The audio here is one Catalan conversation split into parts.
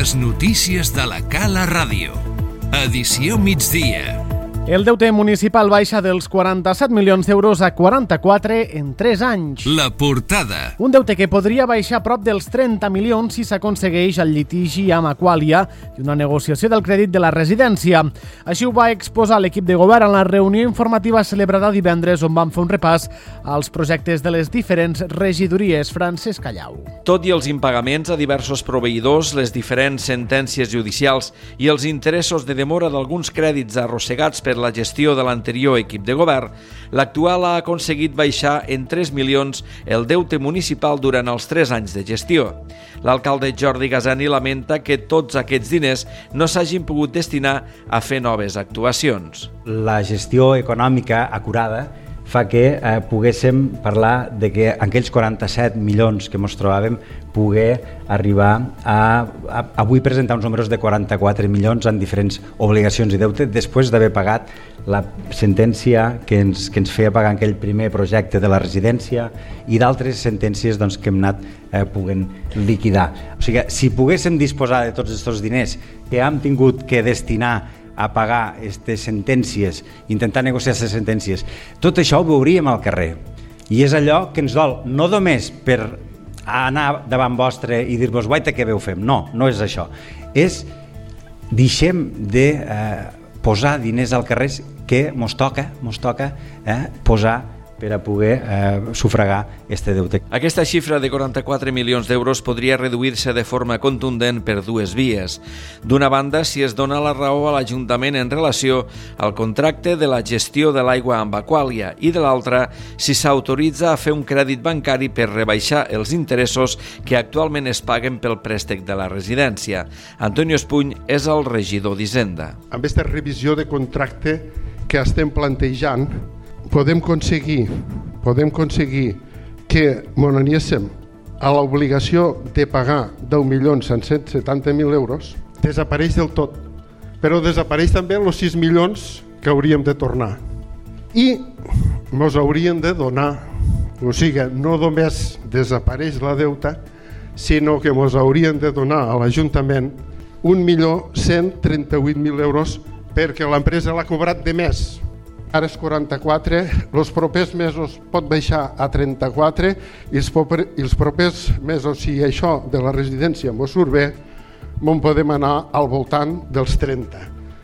Les notícies de la Cala Ràdio. Edició migdia. El deute municipal baixa dels 47 milions d'euros a 44 en 3 anys. La portada. Un deute que podria baixar a prop dels 30 milions si s'aconsegueix el litigi amb Aqualia i una negociació del crèdit de la residència. Així ho va exposar l'equip de govern en la reunió informativa celebrada divendres, on van fer un repàs als projectes de les diferents regidories. Francesc Callau. Tot i els impagaments a diversos proveïdors, les diferents sentències judicials i els interessos de demora d'alguns crèdits arrossegats per la gestió de l'anterior equip de govern, l'actual ha aconseguit baixar en 3 milions el deute municipal durant els 3 anys de gestió. L'alcalde Jordi Gasani lamenta que tots aquests diners no s'hagin pogut destinar a fer noves actuacions. La gestió econòmica acurada fa que poguéssim parlar de que aquells 47 milions que ens trobàvem poder arribar a avui presentar uns números de 44 milions en diferents obligacions i deute després d'haver pagat la sentència que ens feia pagar aquell primer projecte de la residència i d'altres sentències que hem anat poguent liquidar. O sigui, si poguéssim disposar de tots aquests diners que hem tingut que destinar a pagar aquestes sentències, intentar negociar aquestes sentències, tot això ho veuríem al carrer. I és allò que ens dol, no només per anar davant vostre i dir-vos guaita què veu fem, no és això. És deixem de posar diners al carrer que mos toca posar per a poder sufragar este deute. Aquesta xifra de 44 milions d'euros podria reduir-se de forma contundent per dues vies. D'una banda, si es dona la raó a l'Ajuntament en relació al contracte de la gestió de l'aigua amb Aqualia i de l'altra, si s'autoritza a fer un crèdit bancari per rebaixar els interessos que actualment es paguen pel préstec de la residència. Antonio Espuny és el regidor d'Hisenda. Amb aquesta revisió de contracte que estem plantejant, podem aconseguir que n'aniéssim a l'obligació de pagar 10.170.000 euros, desapareix del tot, però desapareix també els 6 milions que hauríem de tornar i ens haurien de donar, o sigui, no només desapareix la deuta, sinó que ens haurien de donar a l'Ajuntament 1.138.000 euros perquè l'empresa l'ha cobrat de més. Ara és 44, els propers mesos pot baixar a 34 i els propers mesos, si això de la residència ens surt bé, podem anar al voltant dels 30,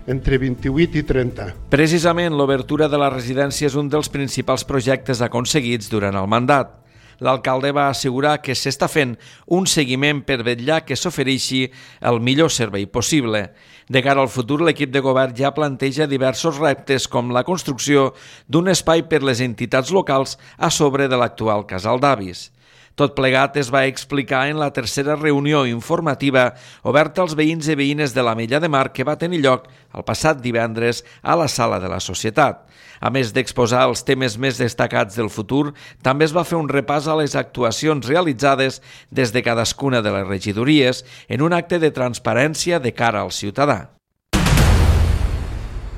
entre 28 i 30. Precisament l'obertura de la residència és un dels principals projectes aconseguits durant el mandat. L'alcalde va assegurar que s'està fent un seguiment per vetllar que s'ofereixi el millor servei possible. De cara al futur, l'equip de govern ja planteja diversos reptes com la construcció d'un espai per les entitats locals a sobre de l'actual casal d'avis. Tot plegat es va explicar en la tercera reunió informativa oberta als veïns i veïnes de l'Ametlla de Mar que va tenir lloc el passat divendres a la Sala de la Societat. A més d'exposar els temes més destacats del futur, també es va fer un repàs a les actuacions realitzades des de cadascuna de les regidories en un acte de transparència de cara al ciutadà.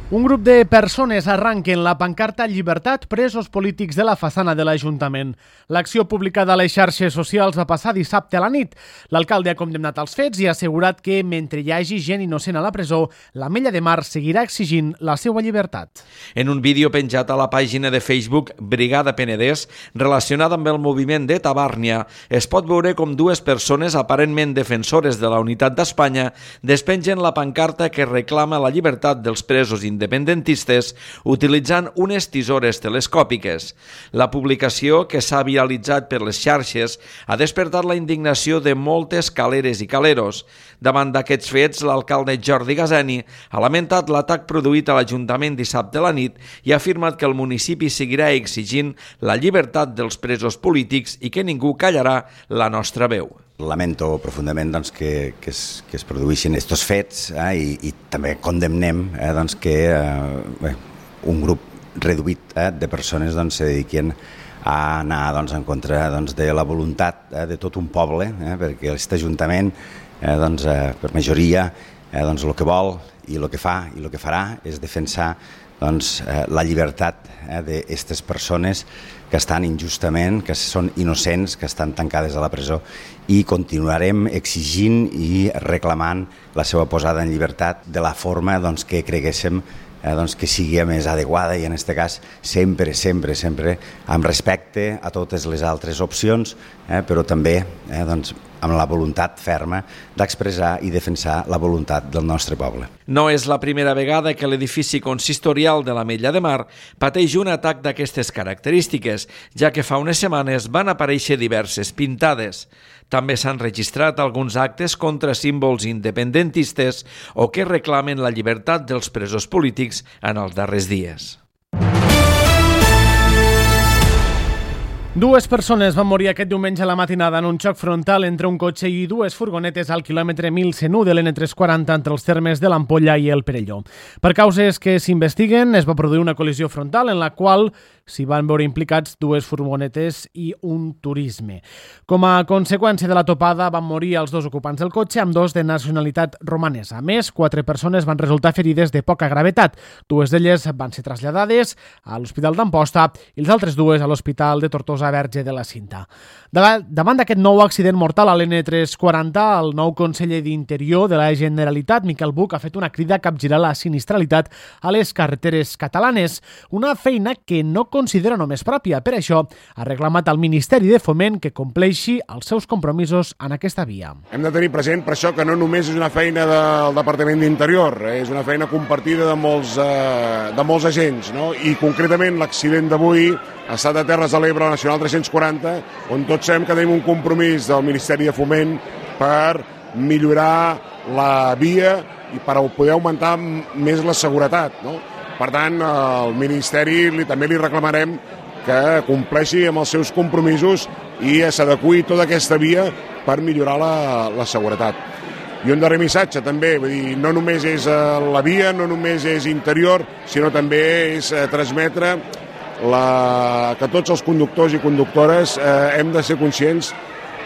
Un grup de persones arranquen la pancarta Llibertat, presos polítics de la façana de l'Ajuntament. L'acció publicada a les xarxes socials va passar dissabte a la nit. L'alcalde ha condemnat els fets i ha assegurat que, mentre hi hagi gent innocent a la presó, l'Ametlla de Mar seguirà exigint la seva llibertat. En un vídeo penjat a la pàgina de Facebook Brigada Penedès, relacionada amb el moviment de Tabàrnia, es pot veure com dues persones aparentment defensores de la unitat d'Espanya despengen la pancarta que reclama la llibertat dels presos independentistes utilitzant unes tisores telescòpiques. La publicació, que s'ha viralitzat per les xarxes, ha despertat la indignació de moltes caleres i caleros. Davant d'aquests fets, l'alcalde Jordi Gasani ha lamentat l'atac produït a l'Ajuntament dissabte a la nit i ha afirmat que el municipi seguirà exigint la llibertat dels presos polítics i que ningú callarà la nostra veu. Lamento profundament que es produïssin aquests fets i també condemnem que un grup reduït de persones se dediquin a anar en contra de la voluntat de tot un poble, perquè aquest Ajuntament, per majoria, el que vol i el que fa i el que farà és defensar la llibertat d'aquestes persones que estan injustament, que són innocents, que estan tancades a la presó, i continuarem exigint i reclamant la seva posada en llibertat de la forma que creguéssim que sigui més adequada, i en aquest cas sempre amb respecte a totes les altres opcions, però també amb la voluntat ferma d'expressar i defensar la voluntat del nostre poble. No és la primera vegada que l'edifici consistorial de l'Ametlla de Mar pateix un atac d'aquestes característiques, ja que fa unes setmanes van aparèixer diverses pintades. També s'han registrat alguns actes contra símbols independentistes o que reclamen la llibertat dels presos polítics en els darrers dies. Dues persones van morir aquest diumenge a la matinada en un xoc frontal entre un cotxe i dues furgonetes al quilòmetre 1101 de l'N340 entre els termes de l'Ampolla i el Perelló. Per causes que s'investiguen, es va produir una col·lisió frontal en la qual s'hi van veure implicats dues furgonetes i un turisme. Com a conseqüència de la topada van morir els dos ocupants del cotxe, amb dos de nacionalitat romanesa. A més, 4 persones van resultar ferides de poca gravetat. 2 d'elles van ser traslladades a l'Hospital d'Amposta i les altres 2 a l'Hospital de Tortosa Verge de la Cinta. Davant d'aquest nou accident mortal a l'N340, el nou conseller d'Interior de la Generalitat, Miquel Buch, ha fet una crida a capgirar la sinistralitat a les carreteres catalanes, una feina que no considera només pròpia. Per això ha reclamat al Ministeri de Foment que compleixi els seus compromisos en aquesta via. Hem de tenir present per això que no només és una feina del Departament d'Interior, és una feina compartida de molts agents, no? I concretament l'accident d'avui ha estat a Terres de l'Ebre, la Nacional 340, on tots sabem que tenim un compromís del Ministeri de Foment per millorar la via i per poder augmentar més la seguretat, no? Per tant, al Ministeri també li reclamarem que compleixi amb els seus compromisos i s'adeqüi tota aquesta via per millorar la seguretat. I un darrer missatge també, vull dir, no només és la via, no només és interior, sinó també és transmetre que tots els conductors i conductores hem de ser conscients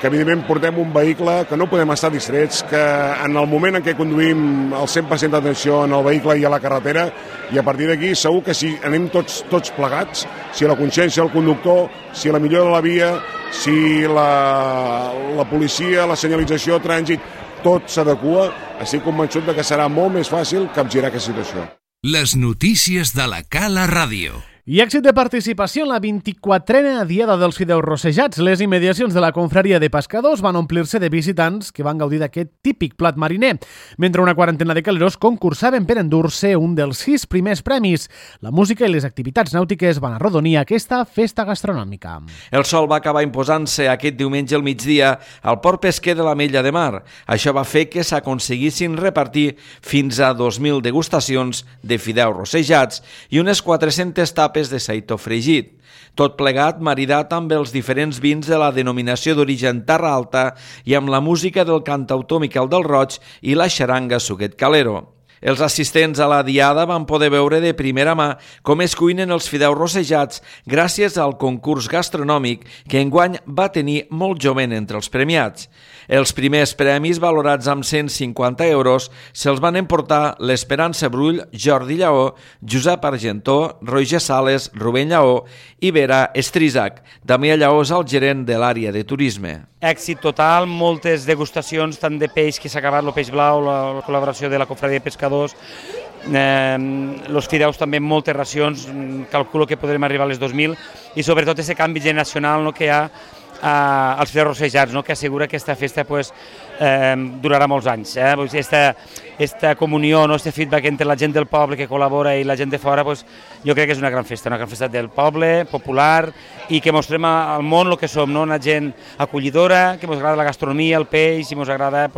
que evidentment portem un vehicle que no podem estar distrets, que en el moment en què conduïm el 100% d'atenció en el vehicle i a la carretera, i a partir d'aquí segur que si anem tots plegats, si la consciència del conductor, si la millora de la via, si la policia, la senyalització, trànsit, tot s'adequa, estic convençut que serà molt més fàcil capgirar aquesta situació. Les notícies de la Cala Ràdio. I èxit de participació en la 24a Diada dels Fideus Rossejats. Les immediacions de la confraria de pescadors van omplir-se de visitants que van gaudir d'aquest típic plat mariner, mentre una quarantena de caleros concursaven per endur-se un dels 6 primers premis. La música i les activitats nàutiques van arrodonir aquesta festa gastronòmica. El sol va acabar imposant-se aquest diumenge al migdia al port pesquer de l'Ametlla de Mar. Això va fer que s'aconseguissin repartir fins a 2.000 degustacions de fideus rossejats i unes 400 tapes de seitó fregit. Tot plegat maridat amb els diferents vins de la denominació d'origen Terra Alta i amb la música del cantautor Miquel del Roig i la xaranga Suquet Calero. Els assistents a la diada van poder veure de primera mà com es cuinen els fideus rossejats gràcies al concurs gastronòmic que enguany va tenir molt jovent entre els premiats. Els primers premis, valorats amb 150 euros, se'ls van emportar l'Esperança Brull, Jordi Lleó, Josep Argentó, Roger Sales, Rubén Lleó i Vera Estrisac. Damià Lleó és el gerent de l'àrea de turisme. Èxit total, moltes degustacions, tant de peix que s'ha acabat, el peix blau, la col·laboració de la confraria de pescadors, els fideus també, moltes racions, calculo que podrem arribar a les 2.000, i sobretot aquest canvi generacional que hi ha als fideus rossejats, que assegura que aquesta festa durarà molts anys. Aquesta comunió, aquest feedback entre la gent del poble que col·labora i la gent de fora, jo crec que és una gran festa del poble, popular, i que mostrem al món el que som, una gent acollidora, que ens agrada la gastronomia, el peix, i ens agrada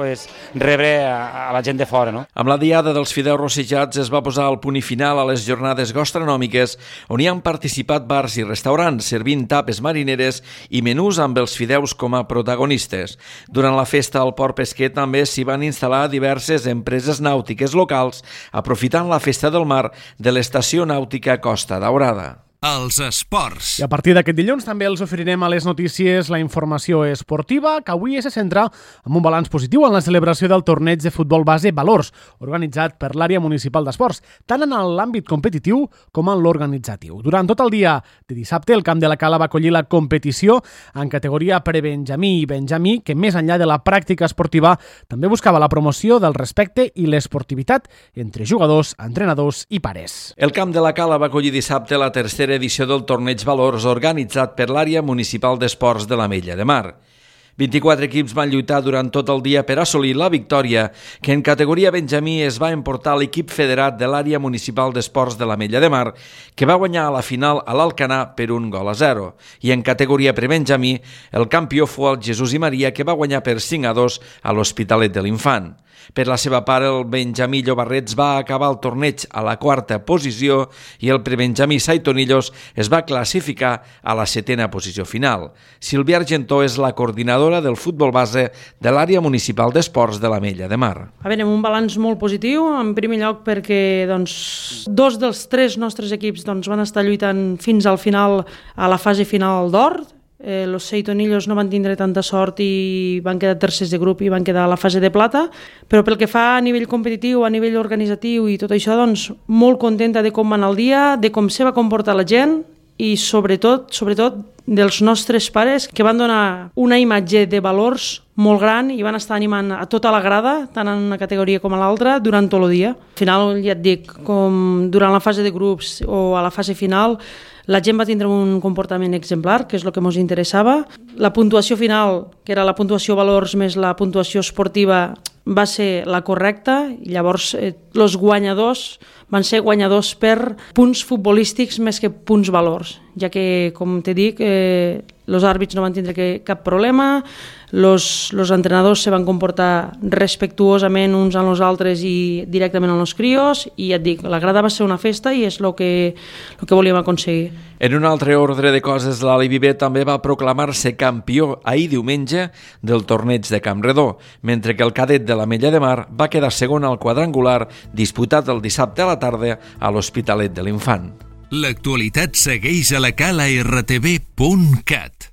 rebre a la gent de fora. Amb la diada dels fideus rossejats es va posar el punt final a les jornades gastronòmiques on hi han participat bars i restaurants servint tapes marineres i menús amb els fideus com a protagonistes. Durant la festa al port pesquer també s'hi van instal·lar diverses empreses nàutiques locals aprofitant la festa del mar de l'estació nàutica Costa Daurada. Els esports. I a partir d'aquest dilluns també els oferirem a les notícies la informació esportiva, que avui se centra en un balanç positiu en la celebració del torneig de futbol base Valors, organitzat per l'àrea municipal d'esports, tant en l'àmbit competitiu com en l'organitzatiu. Durant tot el dia de dissabte, el Camp de la Cala va acollir la competició en categoria prebenjamí i benjamí, que més enllà de la pràctica esportiva també buscava la promoció del respecte i l'esportivitat entre jugadors, entrenadors i pares. El Camp de la Cala va acollir dissabte la tercera edició del Torneig Valors organitzat per l'àrea municipal d'esports de l'Ametlla de Mar. 24 equips van lluitar durant tot el dia per assolir la victòria, que en categoria benjamí es va emportar l'equip federat de l'àrea municipal d'esports de l'Ametlla de Mar, que va guanyar a la final a l'Alcanar per 1-0. I en categoria prebenjamí, el campió fou el Jesús i Maria, que va guanyar per 5-2 a l'Hospitalet de l'Infant. Per la seva part, el benjamí Llobarrets va acabar el torneig a la quarta posició i el prebenjamí Saitonillos es va classificar a la setena posició final. Sílvia Argentó és la coordinadora del futbol base de l'àrea municipal d'esports de l'Ametlla de Mar. A veure, un balanç molt positiu, en primer lloc perquè dos dels tres nostres equips van estar lluitant fins al final, a la fase final d'or. Los Seitonillos no van tindre tanta sort i van quedar tercers de grup i van quedar a la fase de plata, però pel que fa a nivell competitiu, a nivell organitzatiu i tot això, molt contenta de com va anar el dia, de com se va comportar la gent i sobretot dels nostres pares, que van donar una imatge de valors molt gran i van estar animant a tota la grada, tant en una categoria com a l'altra, durant tot el dia. Al final, ja et dic, com durant la fase de grups o a la fase final, la gent va tindre un comportament exemplar, que és el que ens interessava. La puntuació final, que era la puntuació valors més la puntuació esportiva, va ser la correcta, i llavors els guanyadors van ser guanyadors per punts futbolístics més que punts valors, ja que, com te dic, els àrbits no van tindre cap problema, els entrenadors se van comportar respectuosament uns amb els altres i directament amb els crios, i ja et dic, la grada va ser una festa i és el que volíem aconseguir. En un altre ordre de coses, l'Ali Viver també va proclamar-se campió ahir diumenge del torneig de Campredó, mentre que el cadet de l'Ametlla de Mar va quedar segon al quadrangular disputat el dissabte a la tarda a l'Hospitalet de l'Infant. L'actualitat segueix a la cala rtv.cat.